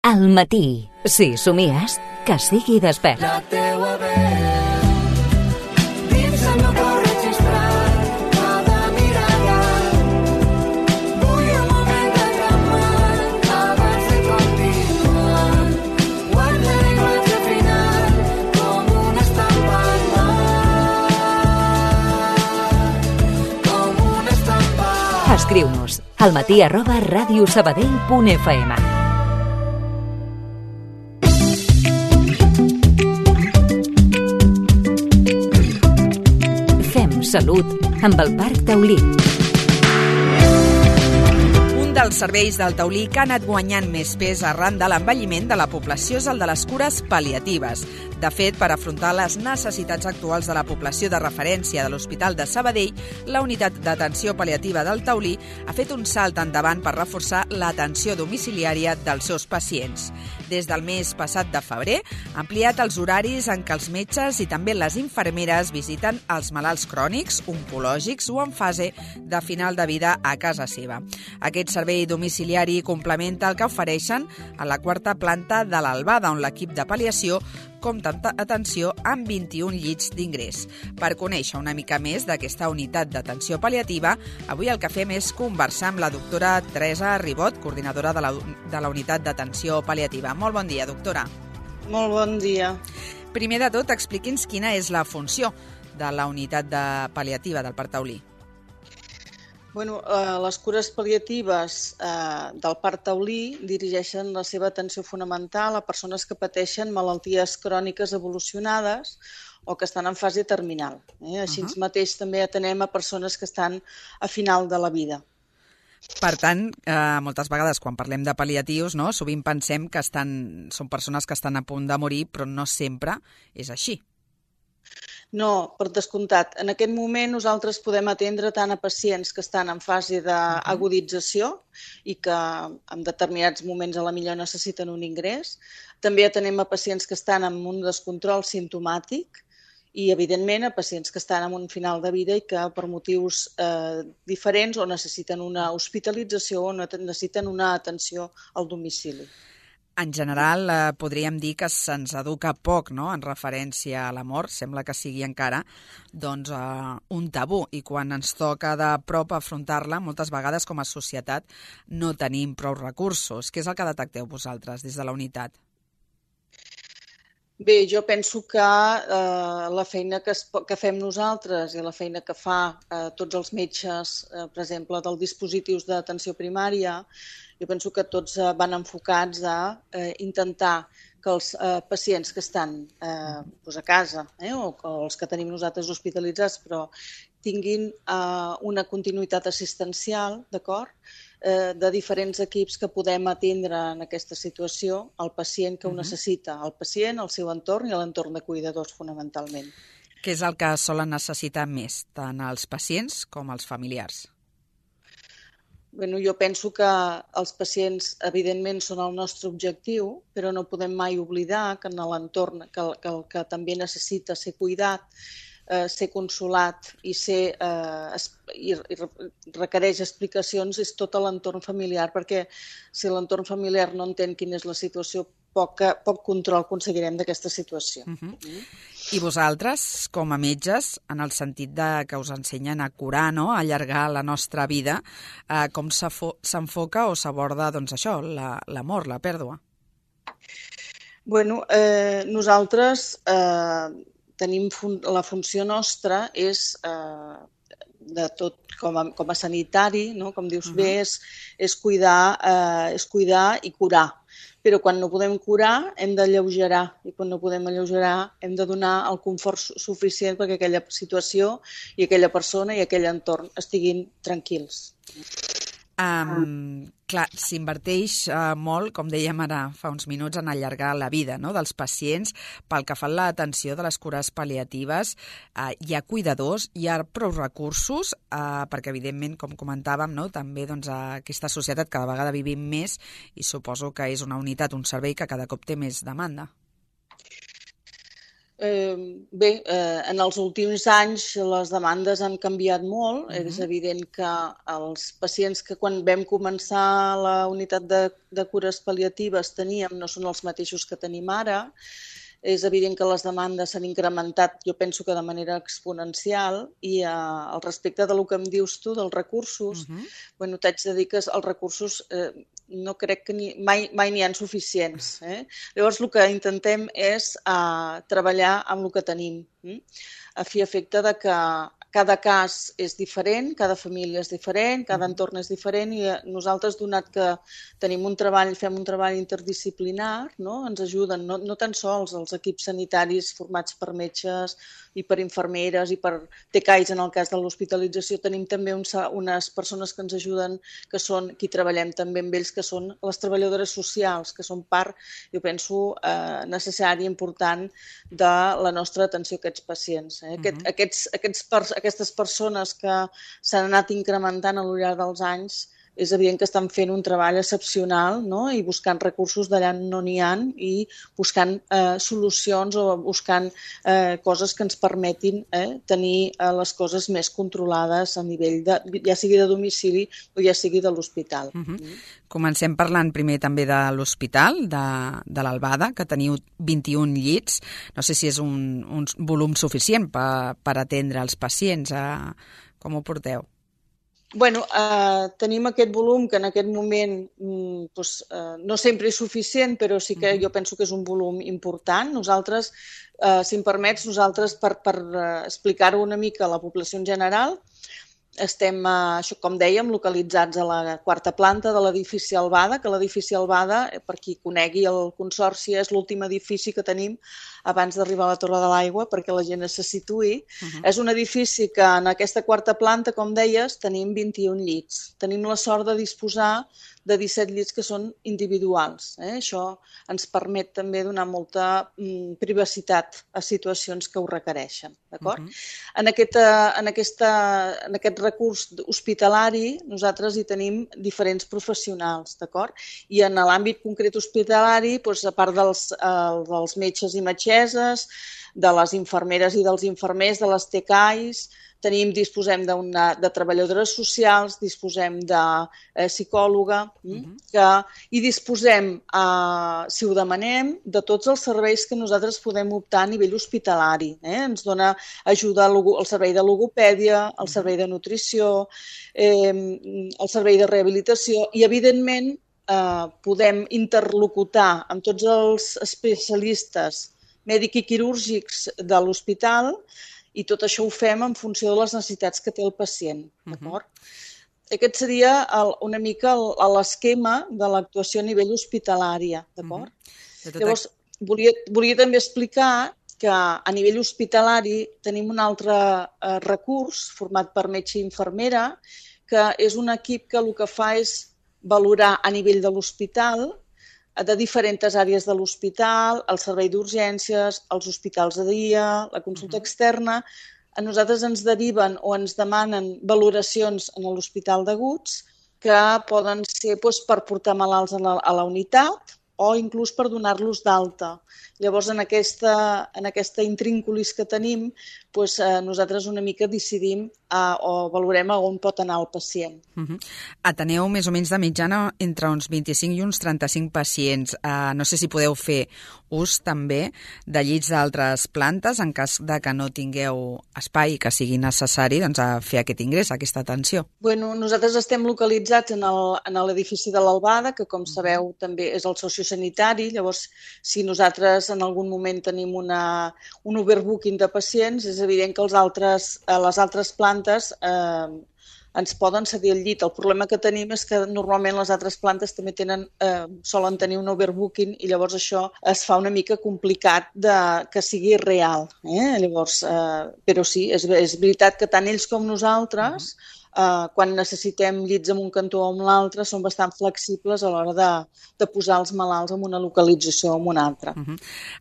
Al matí, si somies, que sigui despert. La teua veu dins el meu cor registrat, cada mirada. Vull un moment de calmar abans de continuar. Guarda el llenguatge final com una estampa al mar, com una estampa. Escriu-nos almatí@radiosabadell.fm. Salut amb el Parc Taulí. Un dels serveis del Taulí que ha anat guanyant més pes arran de l'envelliment de la població és el de les cures pal·liatives. De fet, per afrontar les necessitats actuals de la població de referència de l'Hospital de Sabadell, la unitat d'atenció pal·liativa del Taulí ha fet un salt endavant per reforçar l'atenció domiciliària dels seus pacients. Des del mes passat de febrer, ha ampliat els horaris en què els metges i també les infermeres visiten els malalts crònics, oncològics o en fase de final de vida a casa seva. Aquest servei domiciliari complementa el que ofereixen a la quarta planta de l'Albada, on l'equip de pal·liació compta amb atenció amb 21 llits d'ingrés. Per conèixer una mica més d'aquesta unitat d'atenció pal·liativa, avui el que fem és conversar amb la doctora Teresa Ribot, coordinadora de la unitat d'atenció pal·liativa. Molt bon dia, doctora. Molt bon dia. Primer de tot, expliqui'ns quina és la funció de la unitat pal·liativa del Parc Taulí. Bueno, les cures pal·liatives del Parc Taulí dirigeixen la seva atenció fonamental a persones que pateixen malalties cròniques evolucionades o que estan en fase terminal. Així mateix també atenem a persones que estan a final de la vida. Per tant, moltes vegades quan parlem de pal·liatius, no, sovint pensem que són persones que estan a punt de morir, però no sempre és així. No, per descomptat. En aquest moment nosaltres podem atendre tant a pacients que estan en fase d'agudització i que en determinats moments a la millor necessiten un ingrés. També atenem a pacients que estan en un descontrol simptomàtic i, evidentment, a pacients que estan en un final de vida i que per motius diferents o necessiten una hospitalització o necessiten una atenció al domicili. En general, podríem dir que se'ns educa poc, no?, en referència a la mort. Sembla que sigui encara un tabú, i quan ens toca de prop afrontar-la, moltes vegades com a societat no tenim prou recursos. Què és el que detecteu vosaltres des de la unitat? Bé, jo penso que la feina que fem nosaltres i la feina que fa tots els metges, per exemple, dels dispositius d'atenció primària, jo penso que tots van enfocats a intentar que els pacients que estan a casa o els que tenim nosaltres hospitalitzats però tinguin una continuïtat assistencial, d'acord? De diferents equips que podem atendre en aquesta situació al pacient que ho necessita, el pacient, el seu entorn i l'entorn de cuidadors, fonamentalment. Què és el que solen necessitar més, tant els pacients com els familiars? Bueno, jo penso que els pacients, evidentment, són el nostre objectiu, però no podem mai oblidar que en l'entorn que també necessita ser cuidat, ser consolat i requereix explicacions és tot l'entorn familiar, perquè si l'entorn familiar no entén quina és la situació, poc control aconseguirem d'aquesta situació. I vosaltres, com a metges, en el sentit que us ensenyen a curar, no?, a allargar la nostra vida, com s'enfoca o s'aborda això, la mort, la pèrdua? Bueno, nosaltres tenim la funció nostra és de tot com a sanitari, no? Com dius bé, és cuidar i curar. Però quan no podem curar hem d'alleugerar i quan no podem alleugerar hem de donar el confort suficient perquè aquella situació i aquella persona i aquell entorn estiguin tranquils. Clar, s'inverteix molt, com dèiem ara fa uns minuts, en allargar la vida, no?, dels pacients. Pel que fa a l'atenció de les cures pal·liatives, hi ha cuidadors, hi ha prou recursos, perquè evidentment, com comentàvem, no?, també aquesta societat cada vegada vivim més i suposo que és una unitat, un servei que cada cop té més demanda. En els últims anys les demandes han canviat molt. És evident que els pacients que quan vam començar la unitat de cures pal·liatives teníem no són els mateixos que tenim ara. És evident que les demandes s'han incrementat, jo penso que de manera exponencial, i al respecte del que em dius tu, dels recursos, t'haig de dir que els recursos no crec que mai n'hi ha suficients. Llavors, el que intentem és treballar amb el que tenim, a fi i efecte de que cada cas és diferent, cada família és diferent, cada entorn és diferent, i nosaltres, donat que fem un treball interdisciplinar, ens ajuden no tan sols els equips sanitaris formats per metges i per infermeres i per TCAIs en el cas de l'hospitalització, tenim també unes persones que ens ajuden, que són qui treballem també amb ells, que són les treballadores socials, que són part, jo penso, necessària i important de la nostra atenció a aquests pacients. Aquestes persones que s'han anat incrementant al llarg dels anys, és evident que estan fent un treball excepcional, i buscant recursos d'allà no n'hi ha, i buscant solucions o buscant coses que ens permetin tenir les coses més controlades a nivell ja sigui de domicili o ja sigui de l'hospital. Comencem parlant primer també de l'hospital, de l'Albada, que teniu 21 llits. No sé si és un volum suficient per atendre els pacients. Com ho porteu? Tenim aquest volum que en aquest moment no sempre és suficient, però sí que jo penso que és un volum important. Nosaltres, si em permets, per explicar-ho una mica a la població en general, estem, com dèiem, localitzats a la 4ª planta de l'edifici Albada, que l'edifici Albada, per qui conegui el Consorci, és l'últim edifici que tenim abans d'arribar a la Torre de l'Aigua, perquè la gent se situï. És un edifici que en aquesta 4ª planta, com deies, tenim 21 llits. Tenim la sort de disposar de 17 llits que són individuals. Això ens permet també donar molta privacitat a situacions que ho requereixen. En aquest recurs hospitalari nosaltres hi tenim diferents professionals. I en l'àmbit concret hospitalari, a part dels metges i metgesses, de les infermeres i dels infermers, de les TCAIs, disposem de treballadores socials, disposem de psicòloga i disposem, si ho demanem, de tots els serveis que nosaltres podem optar a nivell hospitalari. Ens dona ajuda el servei de logopèdia, el servei de nutrició, el servei de rehabilitació i, evidentment, podem interlocutar amb tots els especialistes mèdics i quirúrgics de l'hospital, i tot això ho fem en funció de les necessitats que té el pacient. Aquest seria una mica l'esquema de l'actuació a nivell hospitalari. Llavors, volia també explicar que a nivell hospitalari tenim un altre recurs format per metge i infermera, que és un equip que el que fa és valorar a nivell de l'hospital, de diferents àrees de l'hospital, el servei d'urgències, els hospitals de dia, la consulta externa. A nosaltres ens deriven o ens demanen valoracions en l'hospital d'aguts que poden ser per portar malalts a la unitat o inclús per donar-los d'alta. Llavors, en aquesta intrínculis que tenim, nosaltres una mica decidim o valorem on pot anar el pacient. Ateneu més o menys de mitjana entre uns 25 i uns 35 pacients. No sé si podeu fer ús també de llits d'altres plantes en cas de que no tingueu espai i que sigui necessari fer aquest ingrés, aquesta atenció. Nosaltres estem localitzats en l'edifici de l'Albada, que com sabeu també és el sociosanitari. Llavors, si nosaltres en algun moment tenim un overbooking de pacients, és evident que les altres plantes ens poden cedir el llit. El problema que tenim és que normalment les altres plantes també solen tenir un overbooking i llavors això es fa una mica complicat que sigui real. Però sí, és veritat que tant ells com nosaltres, quan necessitem llits en un cantó o en l'altre, són bastant flexibles a l'hora de posar els malalts en una localització o en una altra.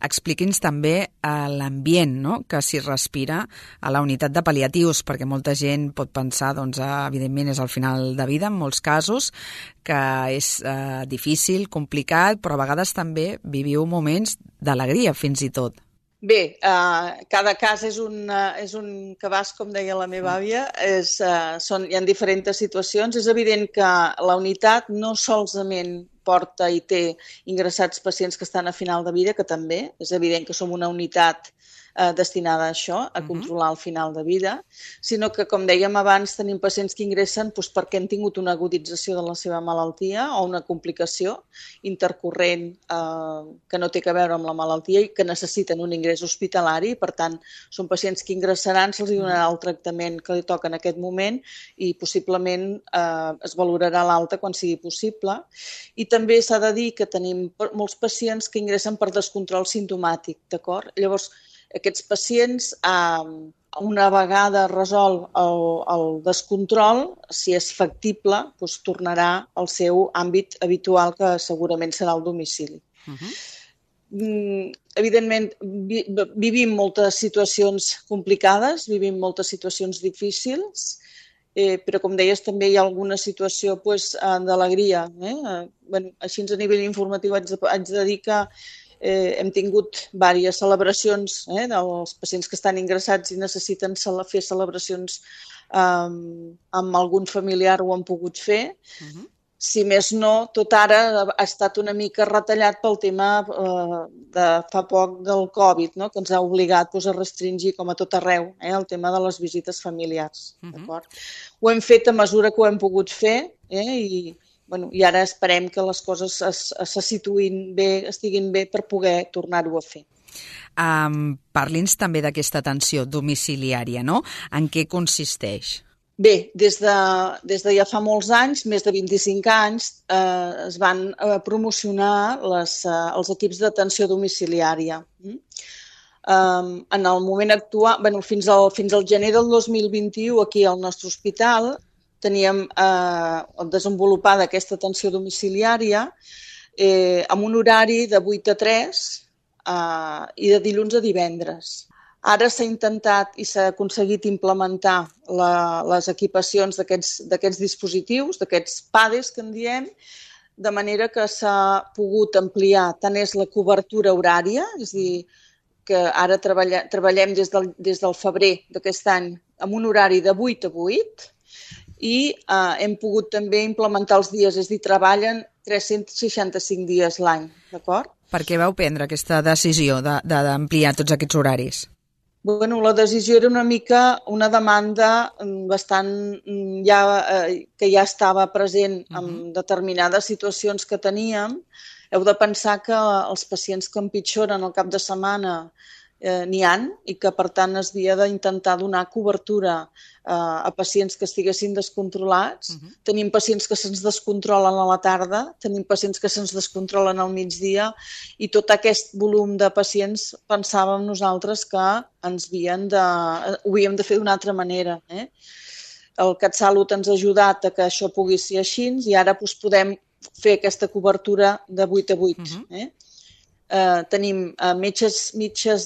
Expliqui'ns també l'ambient que s'hi respira a la unitat de pal·liatius, perquè molta gent pot pensar, evidentment és el final de vida en molts casos, que és difícil, complicat, però a vegades també viviu moments d'alegria fins i tot. Bé, cada cas és un cabàs, com deia la meva àvia. Hi ha diferents situacions. És evident que la unitat no solament porta i té ingressats pacients que estan a final de vida, que també. És evident que som una unitat destinada a això, a controlar el final de vida, sinó que, com dèiem abans, tenim pacients que ingressen perquè han tingut una agudització de la seva malaltia o una complicació intercorrent que no té a veure amb la malaltia i que necessiten un ingrés hospitalari. Per tant, són pacients que ingressaran, se'ls donarà el tractament que li toca en aquest moment i possiblement es valorarà l'alta quan sigui possible. I també s'ha de dir que tenim molts pacients que ingressen per descontrol simptomàtic, d'acord? Llavors, aquests pacients, una vegada resol el descontrol, si és factible, doncs tornarà al seu àmbit habitual, que segurament serà el domicili. Evidentment, vivim moltes situacions complicades, vivim moltes situacions difícils, però, com deies, també hi ha alguna situació d'alegria. Així, a nivell informatiu, haig de dir que hem tingut diverses celebracions dels pacients que estan ingressats i necessiten fer celebracions amb algun familiar, ho han pogut fer. Si més no, tot ara ha estat una mica retallat pel tema de fa poc del Covid, que ens ha obligat a restringir, com a tot arreu, el tema de les visites familiars. Ho hem fet a mesura que ho hem pogut fer i ara esperem que les coses se situïn bé, estiguin bé per poder tornar-ho a fer. Parli'ns també d'aquesta atenció domiciliària, no? En què consisteix? Bé, des de ja fa molts anys, més de 25 anys, es van promocionar els equips d'atenció domiciliària. En el moment actual, fins al gener del 2021, aquí al nostre hospital, teníem desenvolupada aquesta atenció domiciliària amb un horari de 8 a 3 i de dilluns a divendres. Ara s'ha intentat i s'ha aconseguit implementar les equipacions d'aquests dispositius, d'aquests PADEs que en diem, de manera que s'ha pogut ampliar tant és la cobertura horària, és a dir, que ara treballem des del febrer d'aquest any amb un horari de 8 a 8, i hem pogut també implementar els dies, és a dir, treballen 365 dies l'any, d'acord? Per què vau prendre aquesta decisió d'ampliar tots aquests horaris? La decisió era una mica una demanda bastant que ja estava present en determinades situacions que teníem. Heu de pensar que els pacients que empitjoren al cap de setmana n'hi ha i que, per tant, es havia d'intentar donar cobertura a pacients que estiguessin descontrolats. Tenim pacients que se'ns descontrolen a la tarda, tenim pacients que se'ns descontrolen al migdia i tot aquest volum de pacients pensàvem nosaltres que ho havíem de fer d'una altra manera. El CatSalut ens ha ajudat a que això pugui ser així i ara podem fer aquesta cobertura de 8 a 8. Tenim metges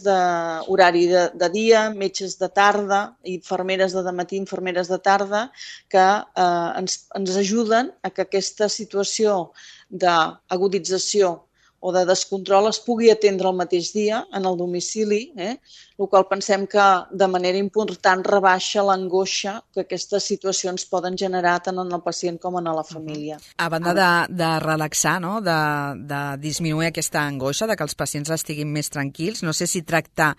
d'horari de dia, metges de tarda, infermeres de matí, infermeres de tarda, que ens ajuden a que aquesta situació d'agudització o de descontrol es pugui atendre el mateix dia en el domicili, el qual pensem que de manera important rebaixa l'angoixa que aquestes situacions poden generar tant en el pacient com en la família. A banda de relaxar, no? de disminuir aquesta angoixa, de que els pacients estiguin més tranquils, no sé si tractar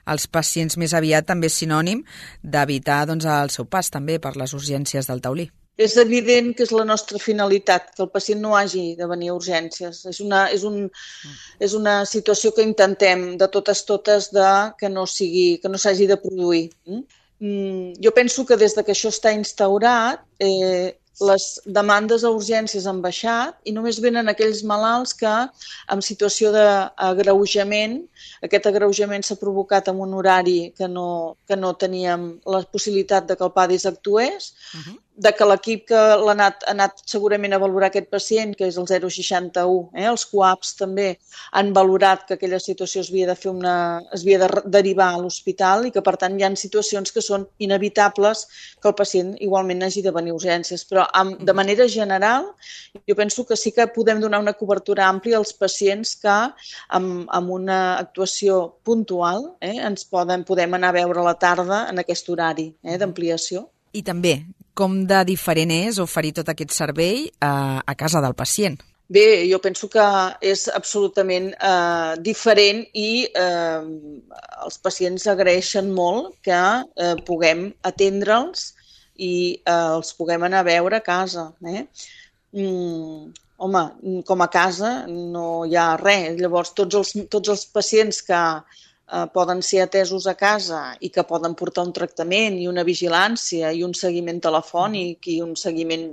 els pacients més aviat també és sinònim d'evitar el seu pas també per les urgències del taulí. És evident que és la nostra finalitat, que el pacient no hagi de venir a urgències. És una situació que intentem de totes que no s'hagi de produir. Jo penso que des que això està instaurat, les demandes a urgències han baixat i només venen aquells malalts que en situació d'agreujament, aquest agreujament s'ha provocat en un horari que no teníem la possibilitat de que el PADIS actués, que l'equip que ha anat segurament a valorar aquest pacient, que és el 061, els CUAPs també han valorat que aquella situació es havia de derivar a l'hospital i que, per tant, hi ha situacions que són inevitables que el pacient igualment hagi de venir a urgències. Però, de manera general, jo penso que sí que podem donar una cobertura àmplia als pacients que, amb una actuació puntual, ens podem anar a veure a la tarda en aquest horari d'ampliació. I també, com de diferent és oferir tot aquest servei a casa del pacient? Bé, jo penso que és absolutament diferent i els pacients agraeixen molt que puguem atendre'ls i els puguem anar a veure a casa. Home, com a casa no hi ha res. Llavors, tots els pacients que poden ser atesos a casa i que poden portar un tractament i una vigilància i un seguiment telefònic i un seguiment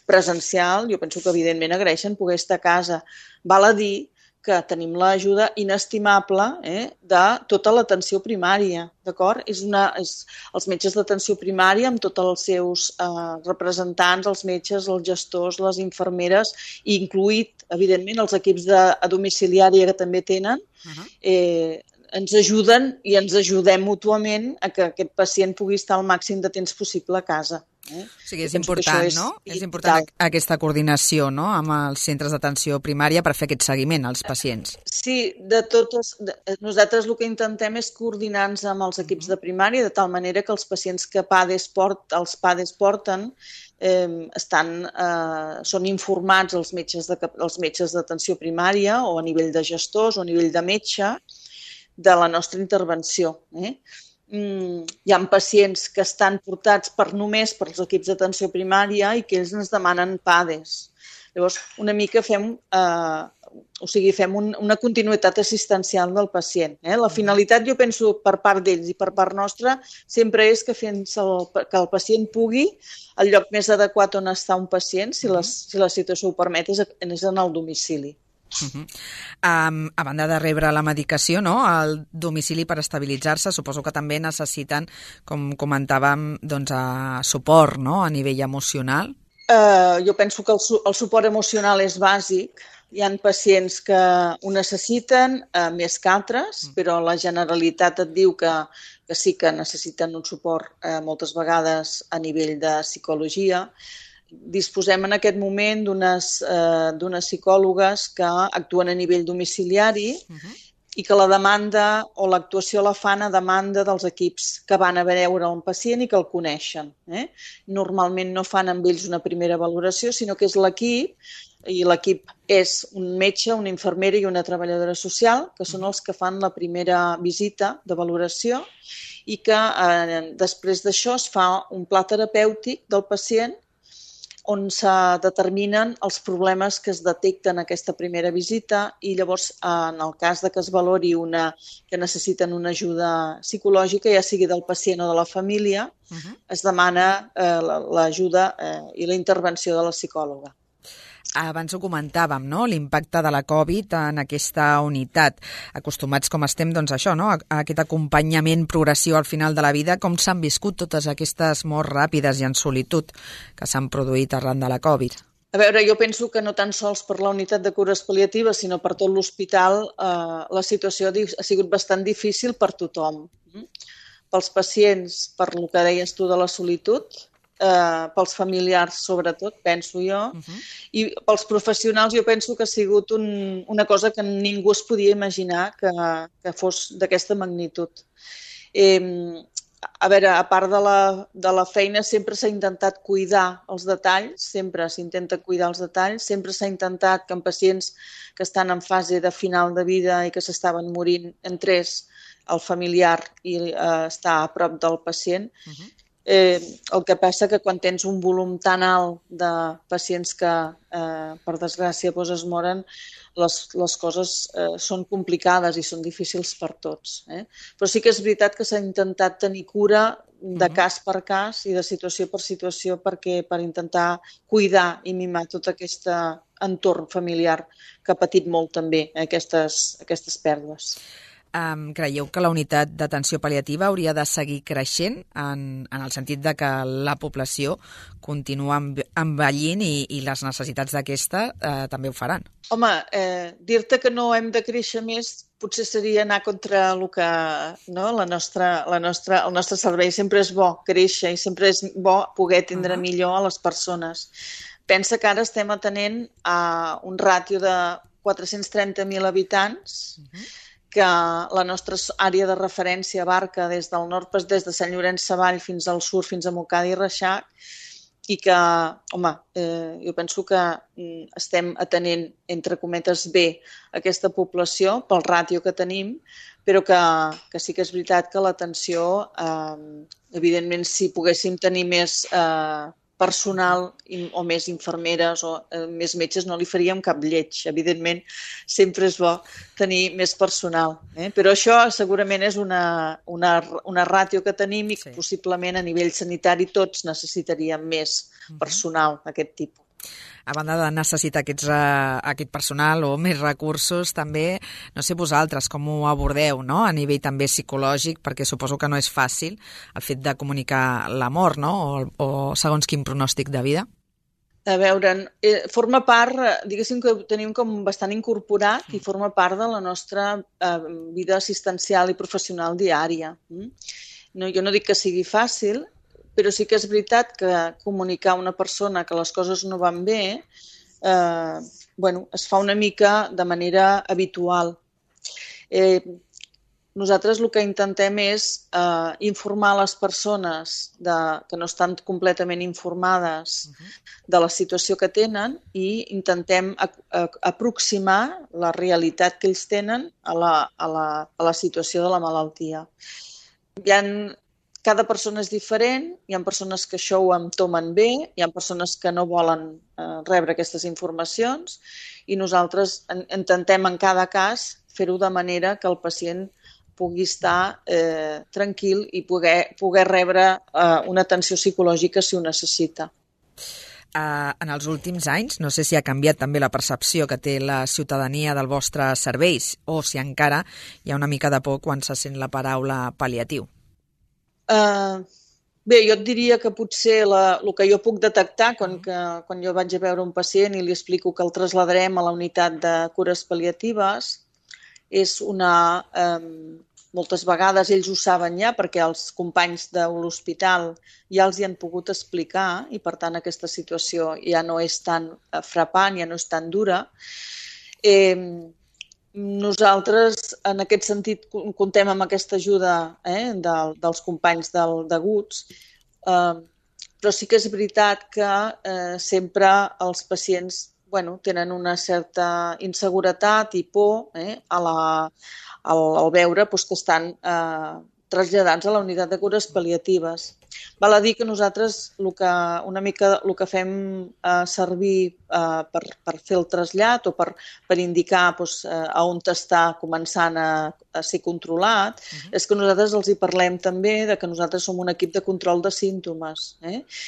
presencial, jo penso que evidentment agraeixen poder estar a casa. Val a dir que tenim l'ajuda inestimable de tota l'atenció primària, d'acord? Els metges d'atenció primària amb tots els seus representants, els metges, els gestors, les infermeres, incluït, evidentment, els equips de domiciliària que també tenen, ens ajuden i ens ajudem mútuament a que aquest pacient pugui estar el màxim de temps possible a casa. O sigui, és important, no? És important aquesta coordinació, no?, amb els centres d'atenció primària per fer aquest seguiment als pacients. Sí, nosaltres el que intentem és coordinar-nos amb els equips de primària de tal manera que els pacients que els PADES porten són informats els metges d'atenció primària o a nivell de gestors o a nivell de metge de la nostra intervenció. Hi ha pacients que estan portats només pels equips d'atenció primària i que ells ens demanen PADES. Llavors, una mica fem una continuïtat assistencial del pacient. La finalitat, jo penso, per part d'ells i per part nostra, sempre és que el pacient pugui, el lloc més adequat on està un pacient, si la situació ho permet, és en el domicili. A banda de rebre la medicació, no, al domicili per estabilitzar-se, suposo que també necessiten, com comentàvem, suport, no?, a nivell emocional. Jo penso que el suport emocional és bàsic. Hi ha pacients que ho necessiten més que altres, però la generalitat et diu que sí que necessiten un suport moltes vegades a nivell de psicologia. Disposem en aquest moment d'unes psicòlogues que actuen a nivell domiciliari i que la demanda o l'actuació la fan a demanda dels equips que van a veure un pacient i que el coneixen. Normalment no fan amb ells una primera valoració, sinó que és l'equip, i l'equip és un metge, una infermera i una treballadora social, que són els que fan la primera visita de valoració i que després d'això es fa un pla terapèutic del pacient on se determinen els problemes que es detecten en aquesta primera visita i llavors, en el cas que es valori que necessiten una ajuda psicològica, ja sigui del pacient o de la família, es demana l'ajuda i la intervenció de la psicòloga. Abans ho comentàvem, no?, l'impacte de la Covid en aquesta unitat. Acostumats com estem, doncs això, no?, a aquest acompanyament, progressió al final de la vida, com s'han viscut totes aquestes morts ràpides i en solitud que s'han produït arran de la Covid? A veure, jo penso que no tan sols per la unitat de cures pal·liatives, sinó per tot l'hospital, la situació ha sigut bastant difícil per tothom. Pels pacients, per el que deies tu de la solitud, pels familiars sobretot, penso jo, i pels professionals jo penso que ha sigut una cosa que ningú es podia imaginar que fos d'aquesta magnitud. A veure, a part de la feina sempre s'ha intentat cuidar els detalls, sempre s'intenta cuidar els detalls, sempre s'ha intentat que en pacients que estan en fase de final de vida i que s'estaven morint entrés el familiar i estar a prop del pacient. El que passa que quan tens un volum tan alt de pacients que, per desgràcia, es moren, les coses són complicades i són difícils per tots. Però sí que és veritat que s'ha intentat tenir cura de cas per cas i de situació per situació per intentar cuidar i mimar tot aquest entorn familiar que ha patit molt també aquestes pèrdues. Creieu que la unitat d'atenció pal·liativa hauria de seguir creixent en el sentit de que la població continua envellint i les necessitats d'aquesta també ho faran? Home, dir-te que no hem de créixer més potser seria anar contra el que, no? El nostre servei. Sempre és bo créixer i sempre és bo poder atendre millor a les persones. Pensa que ara estem atenent a un ràtio de 430.000 habitants, que la nostra àrea de referència abarca des del nord, des de Sant Llorenç Savall fins al sud, fins a Montcada i Reixac, i que, home, jo penso que estem atenent, entre cometes, bé aquesta població pel ràtio que tenim, però que sí que és veritat que l'atenció, evidentment, si poguéssim tenir més personal o més infermeres o més metges no li faríem cap lleig. Evidentment, sempre és bo tenir més personal. Però això segurament és una ràtio que tenim i que possiblement a nivell sanitari tots necessitaríem més personal d'aquest tipus. A banda de necessitar aquest personal o més recursos, també, no sé vosaltres com ho abordeu, no? A nivell també psicològic, perquè suposo que no és fàcil el fet de comunicar la mort, no? O segons quin pronòstic de vida. A veure, forma part, diguéssim que ho tenim com bastant incorporat i forma part de la nostra vida assistencial i professional diària. Jo no dic que sigui fàcil, però sí que és veritat que comunicar a una persona que les coses no van bé es fa una mica de manera habitual. Nosaltres el que intentem és informar les persones que no estan completament informades de la situació que tenen i intentem aproximar la realitat que ells tenen a la situació de la malaltia. Cada persona és diferent, hi ha persones que això ho entomen bé, hi ha persones que no volen rebre aquestes informacions i nosaltres intentem en cada cas fer-ho de manera que el pacient pugui estar tranquil i poder rebre una atenció psicològica si ho necessita. En els últims anys, no sé si ha canviat també la percepció que té la ciutadania del vostre serveis o si encara hi ha una mica de por quan se sent la paraula pal·liatiu. Bé, jo et diria que potser el que jo puc detectar quan jo vaig a veure un pacient i li explico que el traslladarem a la unitat de cures pal·liatives és moltes vegades ells ho saben ja perquè els companys de l'hospital ja els hi han pogut explicar i per tant aquesta situació ja no és tan frapant, ja no és tan dura. Nosaltres, en aquest sentit, comptem amb aquesta ajuda dels companys d'aguts, però sí que és veritat que sempre els pacients tenen una certa inseguretat i por al veure que estan traslladats a la unitat de cures pal·liatives. Val a dir que nosaltres una mica el que fem servir per fer el trasllat o per indicar a on està començant a ser controlat és que nosaltres els hi parlem també de que nosaltres som un equip de control de símptomes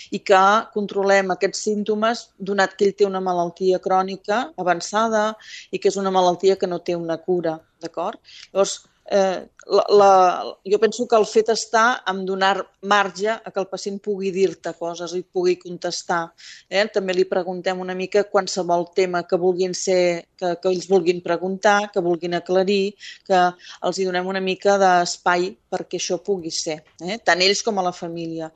i que controlem aquests símptomes donat que ell té una malaltia crònica avançada i que és una malaltia que no té una cura, d'acord? Llavors, jo penso que el fet està en donar marge a que el pacient pugui dir-te coses i pugui contestar. També li preguntem una mica qualsevol tema que vulguin que ells vulguin preguntar, que vulguin aclarir, que els hi donem una mica d'espai perquè això pugui ser, tant ells com a la família.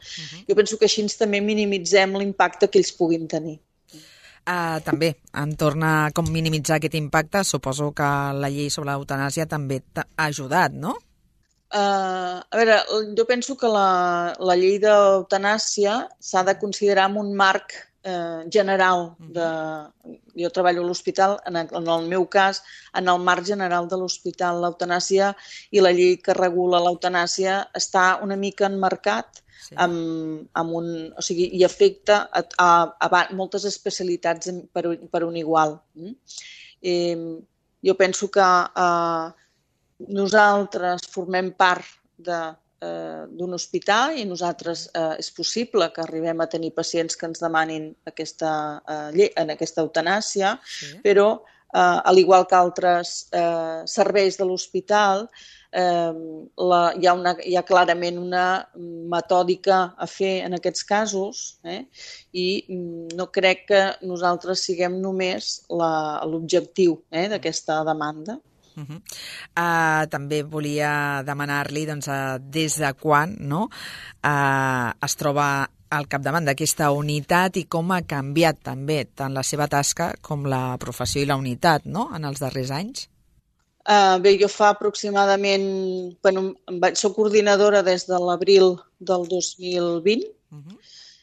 Jo penso que així també minimitzem l'impacte que ells puguin tenir. També, en torna a com minimitzar aquest impacte, suposo que la llei sobre l'eutanàsia també ha ajudat, no? A veure, jo penso que la llei d'eutanàsia s'ha de considerar en un marc general. Jo treballo a l'hospital, en el meu cas, en el marc general de l'hospital. L'eutanàsia i la llei que regula l'eutanàsia està una mica enmarcat i afecta a moltes especialitats per un igual. Jo penso que nosaltres formem part d'un hospital i nosaltres és possible que arribem a tenir pacients que ens demanin aquesta eutanàsia, però al igual que altres serveis de l'hospital, hi ha clarament una metòdica a fer en aquests casos, i no crec que nosaltres siguem només l'objectiu d'aquesta demanda. També volia demanar-li des de quan es troba al capdavant d'aquesta unitat i com ha canviat també tant la seva tasca com la professió i la unitat en els darrers anys. Bé, jo fa aproximadament... soc coordinadora des de l'abril del 2020,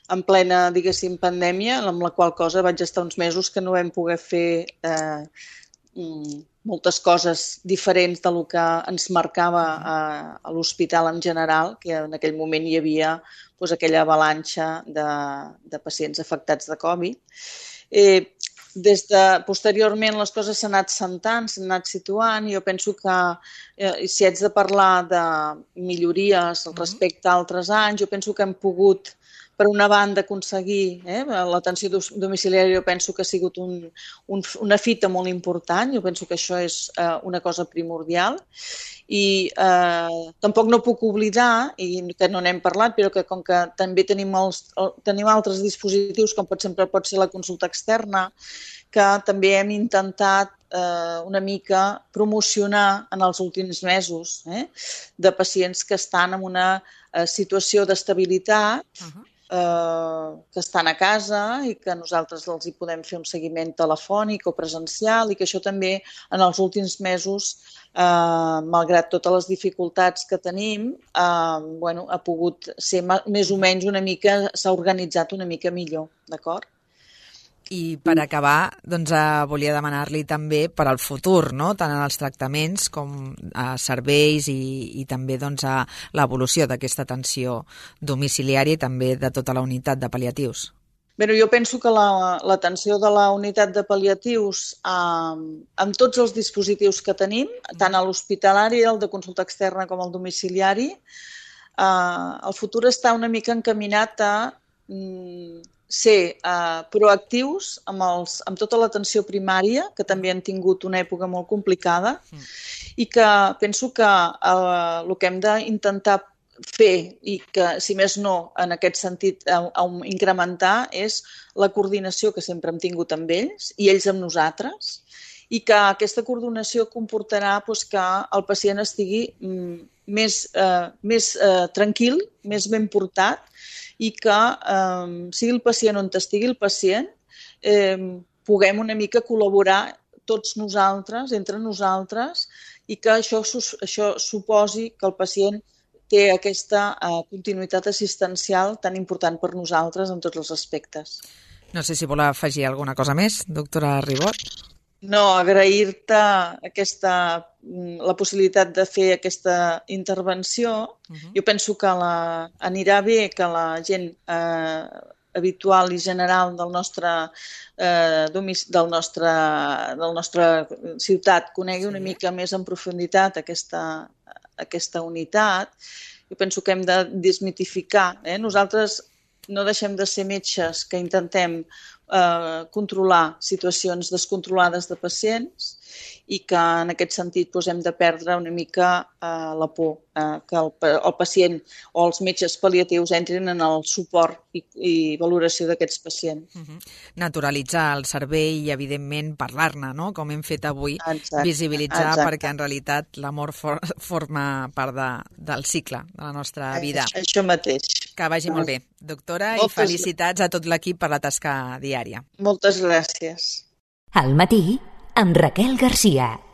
en plena, diguéssim, pandèmia, amb la qual cosa vaig estar uns mesos que no vam poder fer moltes coses diferents del que ens marcava a l'hospital en general, que en aquell moment hi havia aquella avalanxa de pacients afectats de Covid. Posteriorment les coses s'han anat sentant, s'han anat situant, i jo penso que si haig de parlar de millories respecte a altres anys, jo penso que hem pogut, per una banda, aconseguir l'atenció domiciliària. Jo penso que ha sigut una fita molt important, jo penso que això és una cosa primordial, i tampoc no puc oblidar, i que no n'hem parlat, però que com que també tenim altres dispositius, com sempre pot ser la consulta externa, que també hem intentat una mica promocionar en els últims mesos de pacients que estan en una situació d'estabilitat, que estan a casa i que nosaltres els hi podem fer un seguiment telefònic o presencial, i que això també en els últims mesos, malgrat totes les dificultats que tenim, ha pogut ser més o menys una mica, s'ha organitzat una mica millor, d'acord? I per acabar, volia demanar-li també per al futur, tant en els tractaments com a serveis i també a l'evolució d'aquesta atenció domiciliària i també de tota la unitat de pal·liatius. Bé, jo penso que l'atenció de la unitat de pal·liatius, amb tots els dispositius que tenim, tant a l'hospitalari, el de consulta externa com el domiciliari, el futur està una mica encaminat a ser proactius amb tota l'atenció primària, que també han tingut una època molt complicada, i que penso que el que hem d'intentar fer, i que, si més no, en aquest sentit, incrementar, és la coordinació que sempre hem tingut amb ells i ells amb nosaltres, i que aquesta coordinació comportarà que el pacient estigui més tranquil, més ben portat, i que sigui el pacient on estigui el pacient, puguem una mica col·laborar tots nosaltres, entre nosaltres, i que això suposi que el pacient té aquesta continuïtat assistencial tan important per nosaltres en tots els aspectes. No sé si vol afegir alguna cosa més, doctora Ribot. No, agrair-te la possibilitat de fer aquesta intervenció. Jo penso que anirà bé que la gent habitual i general del nostre ciutat conegui una mica més en profunditat aquesta unitat. Jo penso que hem de desmitificar. Nosaltres no deixem de ser metges que intentem controlar situacions descontrolades de pacients, i que en aquest sentit hem de perdre una mica la por que el pacient o els metges pal·liatius entrin en el suport i valoració d'aquests pacients. Naturalitzar el servei i, evidentment, parlar-ne, com hem fet avui, visibilitzar, perquè en realitat l'amor forma part del cicle de la nostra vida. Això mateix. Que vagi molt bé, doctora, i felicitats a tot l'equip per la tasca diària. Moltes gràcies. Al matí, amb Raquel Garcia.